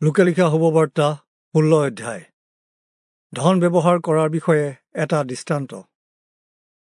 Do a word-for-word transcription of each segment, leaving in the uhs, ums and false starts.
লূকা লিখা শুভবাৰ্তা ষোল্ল অধ্যায়। ধন ব্যৱহাৰ কৰাৰ বিষয়ে এটা দৃষ্টান্ত।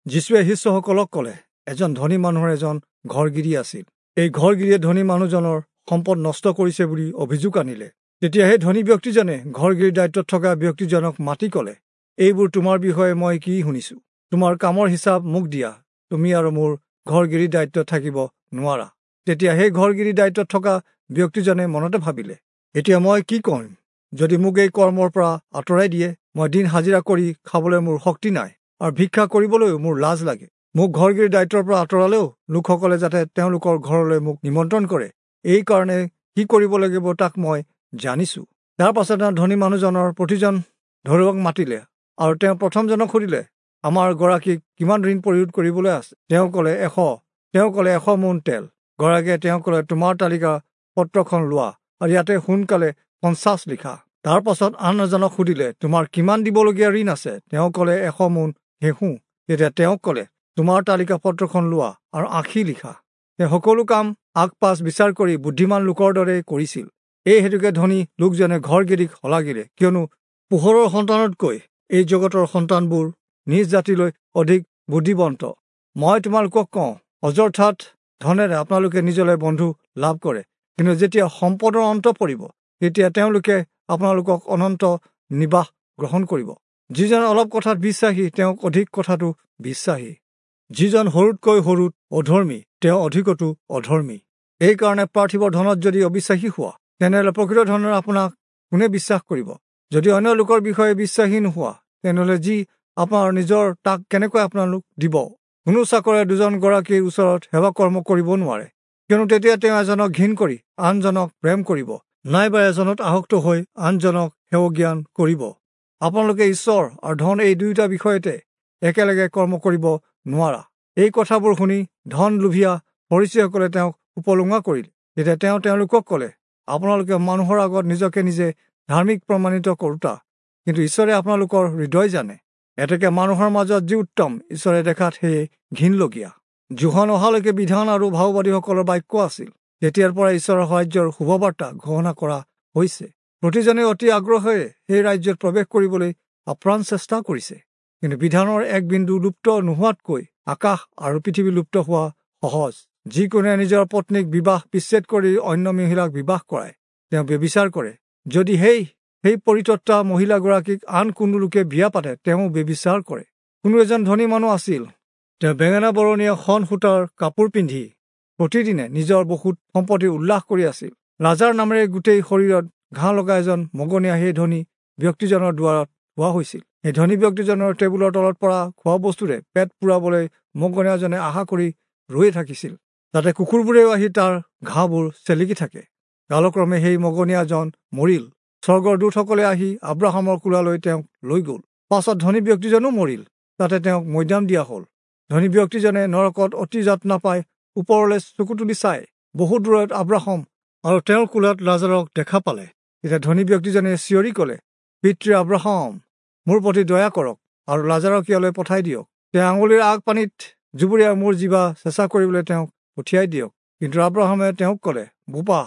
যীশুৱে শিষ্যসকলক ক'লে, এজন ধনী মানুহৰ এজন ঘৰগিৰী আছিল। এই ঘৰগিৰীয়ে ধনী মানুহজনৰ সম্পদ নষ্ট কৰিছে বুলি অভিযোগ আনিলে। তেতিয়া সেই ধনী ব্যক্তিজনে ঘৰগিৰীৰ দায়িত্বত থকা ব্যক্তিজনক মাতি ক'লে, এইবোৰ তোমাৰ বিষয়ে মই কি শুনিছোঁ? তোমাৰ কামৰ হিচাপ মোক দিয়া, তুমি আৰু মোৰ ঘৰগিৰীৰ দায়িত্বত থাকিব নোৱাৰা। তেতিয়া সেই ঘৰগিৰীৰ দায়িত্বত থকা ব্যক্তিজনে মনতে ভাবিলে, এতিয়া মই কি কৰিম? যদি মোক এই কৰ্মৰ পৰা আঁতৰাই দিয়ে, মই দিন হাজিৰা কৰি খাবলৈ মোৰ শক্তি নাই আৰু ভিক্ষা কৰিবলৈও মোৰ লাজ লাগে। মোক ঘৰগিৰীৰ দায়িত্বৰ পৰা আঁতৰালেও লোকসকলে যাতে তেওঁলোকৰ ঘৰলৈ মোক নিমন্ত্ৰণ কৰে, এই কাৰণে কি কৰিব লাগিব তাক মই জানিছোঁ। তাৰ পাছত তেওঁ ধনী মানুহজনৰ প্ৰতিজন ধৰুৱাক মাতিলে আৰু তেওঁ প্ৰথমজনক সুধিলে, আমাৰ গৰাকীক কিমান ঋণ পৰিশোধ কৰিবলৈ আছে? তেওঁ ক'লে, এশ। তেওঁ ক'লে, এশ মোন তেল। গৰাকীয়ে তেওঁ ক'লে, তোমাৰ তালিকা পত্ৰখন লোৱা আৰু ইয়াতে সোনকালে পঞ্চাছ লিখা। তাৰ পাছত আন এজনক সুধিলে, তোমাৰ কিমান দিবলগীয়া ঋণ আছে? তেওঁ ক'লে, এশ মোন ঘেঁহু। তেতিয়া তেওঁক ক'লে, তোমাৰ তালিকা পত্ৰখন লোৱা আৰু আশী লিখা। তেওঁ সকলো কাম আগ পাছ বিচাৰ কৰি বুদ্ধিমান লোকৰ দৰে কৰিছিল। এই হেতুকে ধনী লোকজনে ঘৰগিৰীক শলাগিলে, কিয়নো পোহৰৰ সন্তানতকৈ এই জগতৰ সন্তানবোৰ নিজ জাতিলৈ অধিক বুদ্ধিৱন্ত। মই তোমালোকক কওঁ, অযথাত ধনেৰে আপোনালোকে নিজলৈ বন্ধু লাভ কৰে, কিন্তু যেতিয়া সম্পদৰ অন্ত পৰিব, তেতিয়া তেওঁলোকে আপোনালোকক অনন্ত নিবাস গ্ৰহণ কৰিব। যিজন অলপ কথাত বিশ্বাসী, তেওঁক অধিক কথাটো বিশ্বাসী। যিজন সৰুতকৈ সৰুত অধৰ্মী, তেওঁ অধিকতো অধৰ্মী। এইকাৰণে পাৰ্থিৱ ধনত যদি অবিশ্বাসী হোৱা, তেনেহ'লে প্ৰকৃত ধনৰ আপোনাক কোনে বিশ্বাস কৰিব? যদি অন্য লোকৰ বিষয়ে বিশ্বাসী নোহোৱা, তেনেহ'লে যি আপোনাৰ নিজৰ তাক কেনেকৈ আপোনালোক দিব? কোনো চাকৰে দুজন গৰাকীৰ ওচৰত সেৱা কৰ্ম কৰিব নোৱাৰে, কিয়নো তেতিয়া তেওঁ এজনক ঘিণ কৰি আনজনক প্ৰেম কৰিব, নাইবা এজনত আসক্ত হৈ আনজনক সেৱজ্ঞান কৰিব। আপোনালোকে ঈশ্বৰ আৰু ধন এই দুয়োটা বিষয়তে একেলগে কৰ্ম কৰিব নোৱাৰা। এই কথাবোৰ শুনি ধন লোভীয়া ফৰীচীসকলে তেওঁক উপলুঙা কৰিলে। তেতিয়া তেওঁ তেওঁলোকক ক'লে, আপোনালোকে মানুহৰ আগত নিজকে নিজে ধাৰ্মিক প্ৰমাণিত কৰোতা, কিন্তু ঈশ্বৰে আপোনালোকৰ হৃদয় জানে। এতেকে মানুহৰ মাজত যি উত্তম, ঈশ্বৰে দেখাত সেয়ে ঘিণলগীয়া। যোহন অহালৈকে বিধান আৰু ভাওবাদীসকলৰ বাক্য আছিল। তেতিয়াৰ পৰা ঈশ্বৰৰ ৰাজ্যৰ শুভবাৰ্তা ঘোষণা কৰা হৈছে। প্ৰতিজনে অতি আগ্ৰহেৰে সেই ৰাজ্যত প্ৰৱেশ কৰিবলৈ আপ্ৰাণ চেষ্টা কৰিছে। কিন্তু বিধানৰ এক বিন্দু লুপ্ত নোহোৱাতকৈ আকাশ আৰু পৃথিৱী লুপ্ত হোৱা সহজ। যিকোনোৱে নিজৰ পত্নীক বিবাহ বিচ্ছেদ কৰি অন্য মহিলাক বিবাহ কৰায়, তেওঁ ব্যভিচাৰ কৰে। যদি সেই সেই পৰিত্যক্তা মহিলাগৰাকীক আন কোনো লোকে বিয়া পাতে, তেওঁ ব্যভিচাৰ কৰে। কোনো এজন ধনী মানুহ আছিল। তেওঁ বেঙেনা বৰণীয়া শন সূতাৰ কাপোৰ পিন্ধি প্ৰতিদিনে নিজৰ বহুত সম্পত্তি উল্লাস কৰি আছিল। লাজাৰ নামেৰে গোটেই শৰীৰত ঘাঁ লগা এজন মগনীয়া সেই ধনী ব্যক্তিজনৰ দুৱাৰত থোৱা হৈছিল। সেই ধনী ব্যক্তিজনৰ টেবুলৰ তলত পৰা খোৱা বস্তুৰে পেট পূৰাবলৈ মগনীয়াজনে আশা কৰি ৰৈয়ে থাকিছিল। তাতে কুকুৰবোৰেও আহি তাৰ ঘাঁবোৰ চেলেকি থাকে। কালক্ৰমে সেই মগনীয়াজন মৰিল। স্বৰ্গৰ দূতসকলে আহি আব্ৰাহামৰ কোলালৈ তেওঁক লৈ গ'ল। পাছত ধনী ব্যক্তিজনো মৰিল, তাতে তেওঁক মৈদাম দিয়া হ'ল। ধনী ব্যক্তিজনে নৰকত অতি যাতনা পাই ওপৰলৈ চকু তুলি চাই বহু দূৰত আব্ৰাহাম আৰু তেওঁৰ কোলাত লাজাৰক দেখা পালে। তেতিয়া ধনী ব্যক্তিজনে চিঞৰি ক'লে, পিতৃ আব্ৰাহাম, মোৰ প্ৰতি দয়া কৰক আৰু লাজাৰক ইয়ালৈ পঠাই দিয়ক। তেওঁ আঙুলিৰ আগ পানীত জুবুৰিয়াই মোৰ জিভা চেঁচা কৰিবলৈ তেওঁক পঠিয়াই দিয়ক। কিন্তু আব্ৰাহামে তেওঁক ক'লে, বোপা,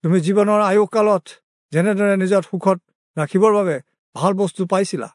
তুমি জীৱনৰ আয়ুসকালত যেনেদৰে নিজৰ সুখত ৰাখিবৰ বাবে ভাল বস্তু পাইছিলা,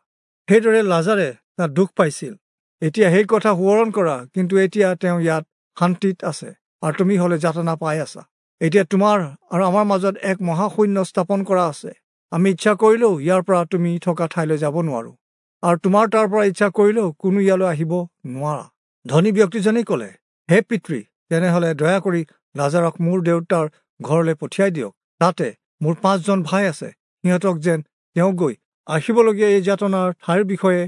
সেইদৰে লাজাৰে তাত দুখ পাইছিল। এতিয়া সেই কথা সোঁৱৰণ কৰা, কিন্তু এতিয়া তেওঁ ইয়াত শান্তিত আছে আৰু তুমি হ'লে যাতনা পাই আছা। এতিয়া তোমাৰ আৰু আমাৰ মাজত এক মহাশূন্য স্থাপন কৰা আছে। আমি ইচ্ছা কৰিলেও ইয়াৰ পৰা তুমি থকা ঠাইলৈ যাব নোৱাৰোঁ, আৰু তোমাৰ তাৰ পৰা ইচ্ছা কৰিলেও কোনো ইয়ালৈ আহিব নোৱাৰা। ধনী ব্যক্তিজনেই ক'লে, হে পিতৃ, তেনেহ'লে দয়া কৰি লাজাৰক মোৰ দেউতাৰ ঘৰলৈ পঠিয়াই দিয়ক। তাতে মোৰ পাঁচজন ভাই আছে, সিহঁতক যেন তেওঁ গৈ আহিবলগীয়া এই যাতনাৰ ঠাইৰ বিষয়ে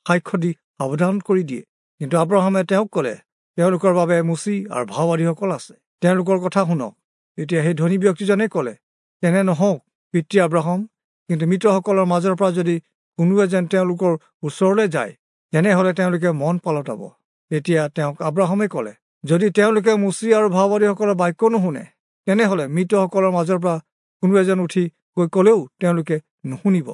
সাক্ষ্য দি সাৱধান কৰি দিয়ে। কিন্তু আব্ৰাহামে তেওঁক ক'লে, তেওঁলোকৰ বাবে মোচি আৰু ভাওবাদীসকল আছে, তেওঁলোকৰ কথা শুনক। তেতিয়া সেই ধনী ব্যক্তিজনে ক'লে, তেনে নহওক পিতৃ আব্ৰাহাম, কিন্তু মৃতসকলৰ মাজৰ পৰা যদি কোনোৱে যেন তেওঁলোকৰ ওচৰলৈ যায়, তেনেহ'লে তেওঁলোকে মন পালটাব। তেতিয়া তেওঁক আব্ৰাহামে ক'লে, যদি তেওঁলোকে মোচি আৰু ভাওবাদীসকলৰ বাক্য নুশুনে, তেনেহ'লে মৃতসকলৰ মাজৰ পৰা কোনো এজন উঠি গৈ ক'লেও তেওঁলোকে নুশুনিব।